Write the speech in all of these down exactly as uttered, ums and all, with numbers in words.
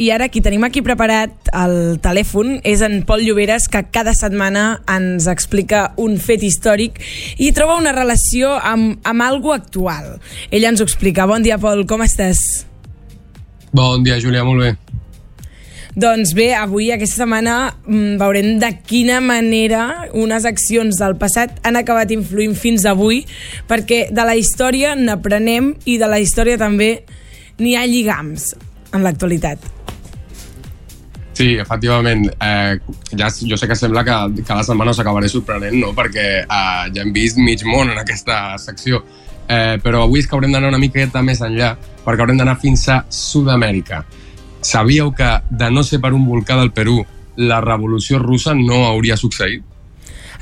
i ara qui tenim aquí preparat al telèfon és en Pol Lloberes, que cada setmana ens explica un fet històric i troba una relació amb, amb algo actual. Ell ens ho explica. Bon dia, Pol, com estàs? Bon dia, Júlia, molt bé. Doncs bé, avui, aquesta setmana, veurem de quina manera unes accions del passat han acabat influint fins avui, perquè de la història n'aprenem i de la història també n'hi ha lligams en l'actualitat. Sí, efectivament. Eh, ja, jo sé que sembla que cada setmana us acabaré sorprenent, no? Perquè eh, ja hem vist mig món en aquesta secció. Eh, però avui és que haurem d'anar una miqueta més enllà, perquè haurem d'anar fins a Sud-amèrica. Sabíeu que, de no ser per un volcà del Perú, la revolució russa no hauria succeït?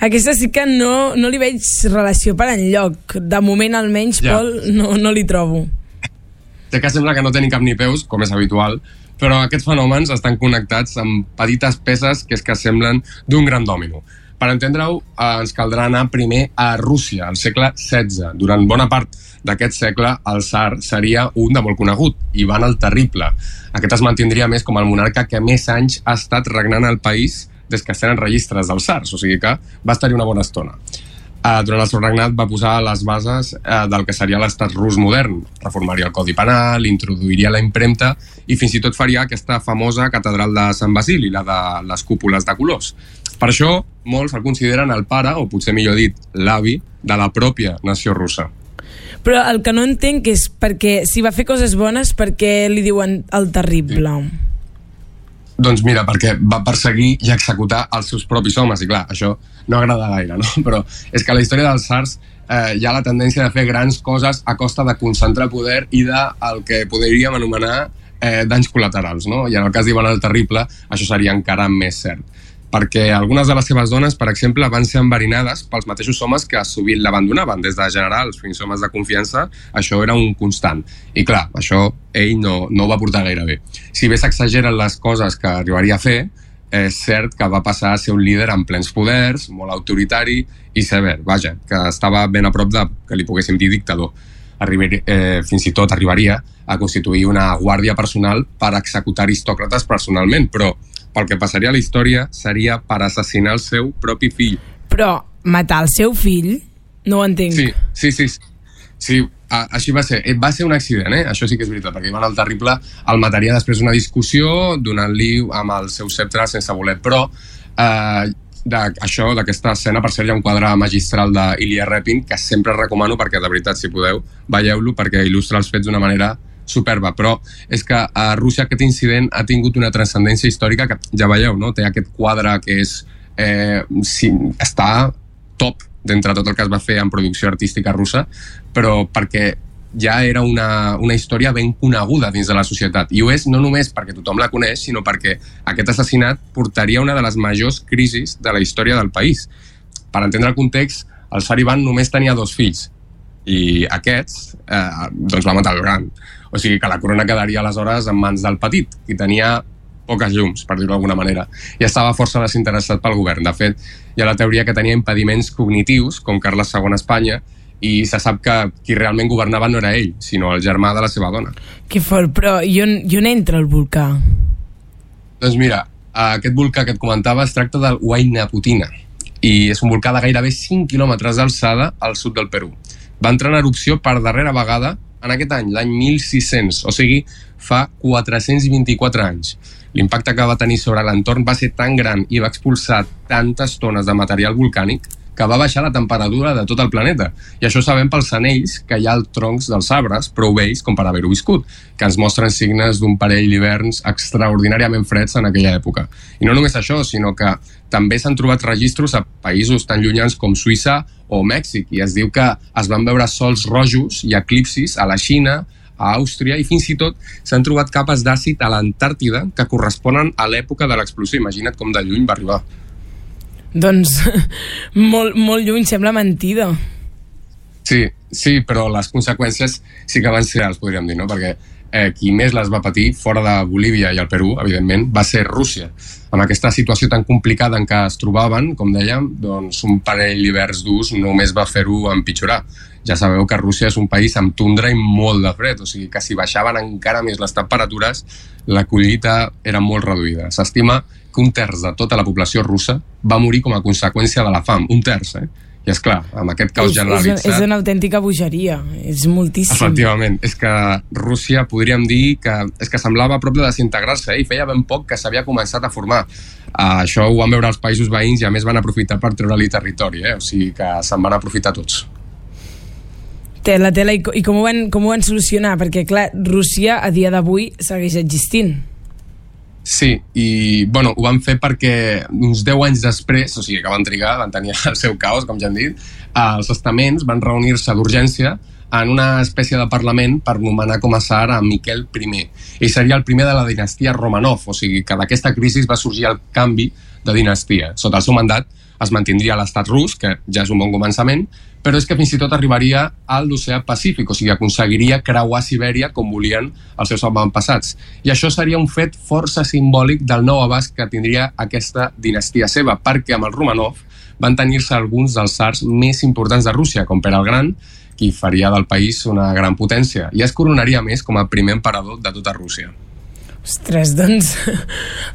Aquesta sí que no, no li veig relació per enlloc. De moment, almenys, ja. Pol, no, no li trobo. Sé que sembla que no tenen cap ni peus, com és habitual, però aquests fenòmens estan connectats amb petites peces que és que semblen d'un gran dòmino. Per entendre-ho, eh, ens caldrà anar primer a Rússia, al segle setze. Durant bona part d'aquest segle, el tsar seria un de molt conegut, Ivan el Terrible. Aquest es mantindria més com el monarca que més anys ha estat regnant al país des que es tenen registres dels tsars, o sigui que va estar-hi una bona estona. Uh, durant el seu regnat va posar les bases uh, del que seria l'estat rus modern. Reformaria el codi penal, introduiria la impremta i fins i tot faria aquesta famosa catedral de Sant Basili, la de les cúpules de colors. Per això, molts el consideren el pare, o potser millor dit, l'avi, de la pròpia nació russa. Però el que no entenc és perquè si va fer coses bones, per què li diuen el Terrible? Sí. Doncs mira, perquè va perseguir i executar els seus propis homes, i clar, això no agrada gaire, no? Però és que a la història dels tsars eh, hi ha la tendència de fer grans coses a costa de concentrar poder i del que podríem anomenar eh, danys col·laterals, no? I en el cas d'Ivan el Terrible, això seria encara més cert. Perquè algunes de les seves dones, per exemple, van ser enverinades pels mateixos homes que sovint l'abandonaven, des de generals fins a homes de confiança, això era un constant. I clar, això ell no, no ho va portar gaire bé. Si bé s'exageren les coses que arribaria a fer, és cert que va passar a ser un líder amb plens poders, molt autoritari i sever, vaja, que estava ben a prop de que li poguéssim dir dictador. Arribar, eh, fins i tot arribaria a constituir una guàrdia personal per executar aristòcrates personalment, però pel que passaria a la història seria per assassinar el seu propi fill. Però matar el seu fill? No ho entenc. Sí, sí, sí. Sí, a, així va ser. Va ser un accident, eh? Això sí que és veritat, perquè Ivan el Terrible el mataria després d'una discussió, donant-li amb el seu sceptre sense voler. Però eh, d'això, d'aquesta escena, per cert, hi ha un quadre magistral d'Ilya Repin que sempre recomano perquè, de veritat, si podeu, veieu-lo perquè il·lustra els fets d'una manera superba, però és que a Rússia aquest incident ha tingut una transcendència històrica que ja veieu, no? Té aquest quadre que és eh, sí, està top d'entre tot el que es va fer en producció artística russa, però perquè ja era una, una història ben coneguda dins de la societat, i ho és no només perquè tothom la coneix, sinó perquè aquest assassinat portaria una de les majors crisis de la història del país. Per entendre el context, el tsar Ivan només tenia dos fills, i aquests eh, doncs va matar el gran. O sigui que la corona quedaria aleshores en mans del petit, qui tenia poques llums, per dir-ho d'alguna manera, i estava força desinteressat pel govern. De fet, hi ha la teoria que tenia impediments cognitius, com Carles segon a Espanya, i se sap que qui realment governava no era ell, sinó el germà de la seva dona. Que fort, però i on, i on entra el volcà? Doncs mira, aquest volcà que et comentava es tracta del Huayna Putina, i és un volcà de gairebé cinc quilòmetres d'alçada al sud del Perú. Va entrar en erupció per darrera vegada en aquest any, l'any mil sis-cents, o sigui, fa quatre-cents vint-i-quatre anys. L'impacte que va tenir sobre l'entorn va ser tan gran i va expulsar tantes tones de material volcànic que va baixar la temperatura de tot el planeta. I això sabem pels anells que hi ha als troncs dels arbres, prou vells com per haver-ho viscut, que ens mostren signes d'un parell d'hiverns extraordinàriament freds en aquella època. I no només això, sinó que també s'han trobat registros a països tan llunyans com Suïssa o Mèxic, i es diu que es van veure sols rojos i eclipsis a la Xina, a Àustria, i fins i tot s'han trobat capes d'àcid a l'Antàrtida que corresponen a l'època de l'explosió. Imagina't com de lluny va arribar. Doncs molt, molt lluny, sembla mentida. Sí, sí, però les conseqüències sí que van ser reals, podríem dir, no? Perquè eh, qui més les va patir, fora de Bolívia i el Perú, evidentment, va ser Rússia. Amb aquesta situació tan complicada en què es trobaven, com dèiem, doncs un parell d'hiverns durs només va fer-ho empitjorar. ja sabeu que Rússia és un país amb tundra i molt de fred, o sigui que si baixaven encara més les temperatures, la collita era molt reduïda. S'estima que un terç de tota la població russa va morir com a conseqüència de la fam, un terç, eh? I és clar, amb aquest caos generalitzat... És, és una autèntica bogeria, és moltíssim. Efectivament, és que Rússia podríem dir que, és que semblava a prop de desintegrar-se eh? i feia ben poc que s'havia començat a formar. Uh, això ho van veure els països veïns i a més van aprofitar per treure-li territori, eh? O sigui que se'n van aprofitar tots. Tela, tela, i, i com, ho van, com ho van solucionar? Perquè clar, Rússia a dia d'avui segueix existint. Sí, i bueno, ho van fer perquè uns deu anys després, o sigui que van trigar, van tenir el seu caos, com ja hem dit, els estaments van reunir-se d'urgència en una espècie de parlament per nomenar com a tsar a Miquel I. Ell seria el primer de la dinastia Romanov, o sigui que d'aquesta crisi va sorgir el canvi de dinastia. Sota el seu mandat es mantindria l'estat rus, que ja és un bon començament, però és que fins i tot arribaria a l'oceà Pacífic, o sigui, aconseguiria creuar Sibèria com volien els seus avantpassats. I això seria un fet força simbòlic del nou abast que tindria aquesta dinastia seva, perquè amb el Romanov van tenir-se alguns dels tsars més importants de Rússia, com Pere el Gran, qui faria del país una gran potència, i es coronaria més com a primer emperador de tota Rússia. Ostres, doncs,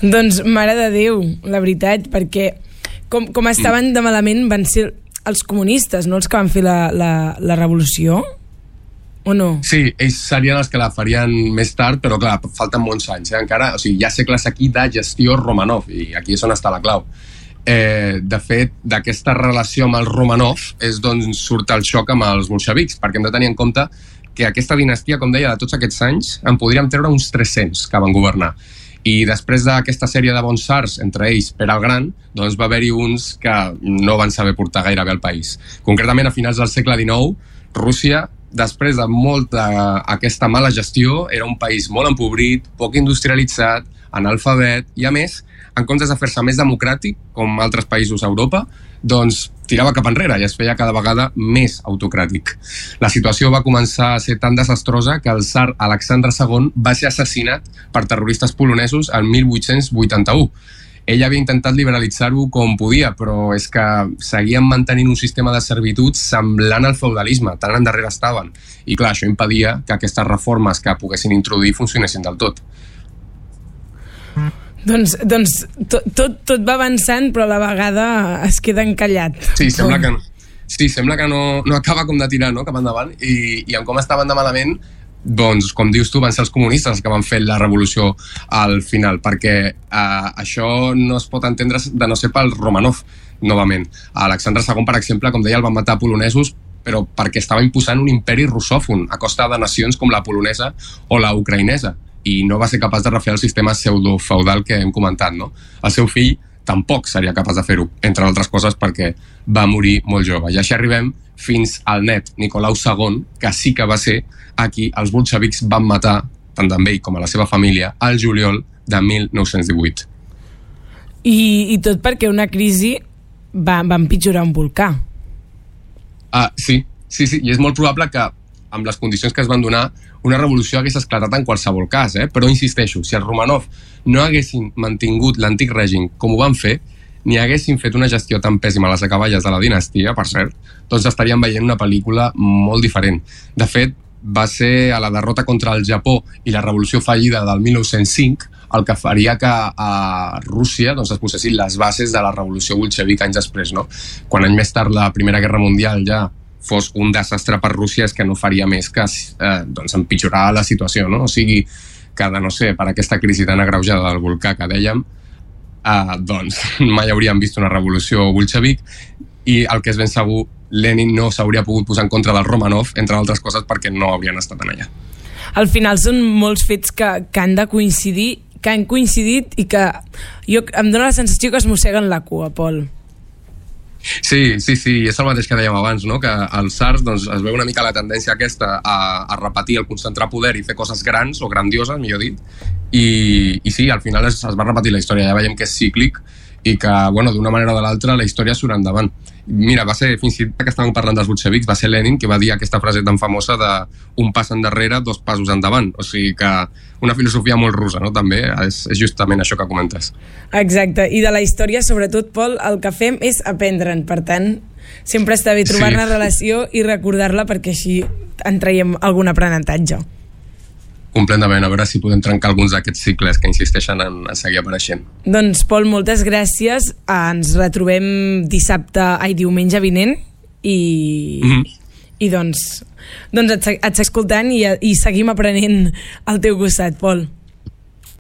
doncs mare de Déu, la veritat, perquè com, com estaven de malament van ser els comunistes, no els que van fer la, la, la revolució? O no? Sí, ells serien els que la farien més tard, però clar, falten molts anys, eh? Encara, o sigui, hi ha segles aquí de gestió Romanov, i aquí és on està la clau. Eh, de fet, d'aquesta relació amb el Romanov és d'on surt el xoc amb els bolxevics, perquè hem de tenir en compte que aquesta dinastia, com deia, de tots aquests anys, en podríem treure uns tres-cents que van governar. I després d'aquesta sèrie de bons tsars, entre ells Pere el Gran, doncs va haver-hi uns que no van saber portar gaire bé el país. Concretament, a finals del segle dinou, Rússia, després de molta aquesta mala gestió, era un país molt empobrit, poc industrialitzat, analfabet, i a més, en comptes de fer-se més democràtic, com altres països a Europa, doncs tirava cap enrere i es feia cada vegada més autocràtic. La situació va començar a ser tan desastrosa que el tsar Alexandre segon va ser assassinat per terroristes polonesos el mil vuit-cents vuitanta-u. Ell havia intentat liberalitzar-ho com podia, però és que seguien mantenint un sistema de servitud semblant al feudalisme, tan endarrere estaven. I clar, això impedia que aquestes reformes que poguessin introduir funcionessin del tot. Doncs, doncs tot, tot, tot va avançant, però a la vegada es queda encallat. Sí, sembla que no, sí, sembla que no, no acaba com de tirar, no?, cap endavant, i, i amb com estaven de malament, doncs, com dius tu, van ser els comunistes els que van fer la revolució al final, perquè eh, això no es pot entendre de no ser pel Romanov, novament. Alexandre segon, per exemple, com deia, el van matar polonesos, però perquè estava imposant un imperi russòfon a costa de nacions com la polonesa o la ucraïnesa, i no va ser capaç de refer el sistema pseudo-feudal que hem comentat, no? El seu fill tampoc seria capaç de fer-ho, entre altres coses perquè va morir molt jove. I així arribem fins al net Nicolau segon, que sí que va ser a qui els bolxevics van matar, tant d'ell com a la seva família, al juliol de mil nou-cents divuit. I, i tot perquè una crisi va, va empitjorar un volcà. Ah, sí, sí, sí, i és molt probable que amb les condicions que es van donar una revolució hagués esclatat en qualsevol cas, eh? Però insisteixo, si els Romanov no haguessin mantingut l'antic règim com ho van fer, ni haguessin fet una gestió tan pèssima a les acaballes de la dinastia, per cert, doncs estaríem veient una pel·lícula molt diferent. De fet, va ser a la derrota contra el Japó i la revolució fallida del mil nou-cents cinc el que faria que a Rússia doncs, es posessin les bases de la revolució bolxevic anys després, no? Quan anys més tard la Primera Guerra Mundial ja fos un desastre per Rússia, és que no faria més que eh, doncs, empitjorar la situació, no? O sigui, que de no ser per aquesta crisi tan agreujada del volcà que dèiem, eh, doncs mai hauríem vist una revolució bolxevic, i el que és ben segur, Lenin no s'hauria pogut posar en contra del Romanov, entre altres coses perquè no haurien estat en allà. Al final són molts fets que, que han de coincidir, que han coincidit i que jo, em dóna la sensació que es mosseguen la cua, Pol. Sí, sí, sí, és el mateix que dèiem abans, no? Que als tsars doncs, es veu una mica la tendència aquesta a, a repetir, el concentrar poder i fer coses grans o grandioses, millor dit, i, i sí, al final es, es va repetir la història, ja veiem que és cíclic i que, bueno, d'una manera o de l'altra la història surt endavant. Mira, va ser, fins i tot que estàvem parlant dels bolxevics, va ser Lenin que va dir aquesta frase tan famosa de un pas endarrere, dos passos endavant. O sigui que una filosofia molt russa, no? També és, és justament això que comentes. Exacte, i de la història, sobretot, Pol, el que fem és aprendre'n. Per tant, sempre està bé trobar-ne Sí. relació i recordar-la perquè així en traiem algun aprenentatge. Completament, a veure si podem trencar alguns d'aquests cicles que insisteixen en, en seguir apareixent. Doncs, Pol, moltes gràcies. Ens retrobem dissabte, ai, diumenge vinent i, mm-hmm. i doncs, doncs et, et escoltant i, i seguim aprenent al teu costat, Pol.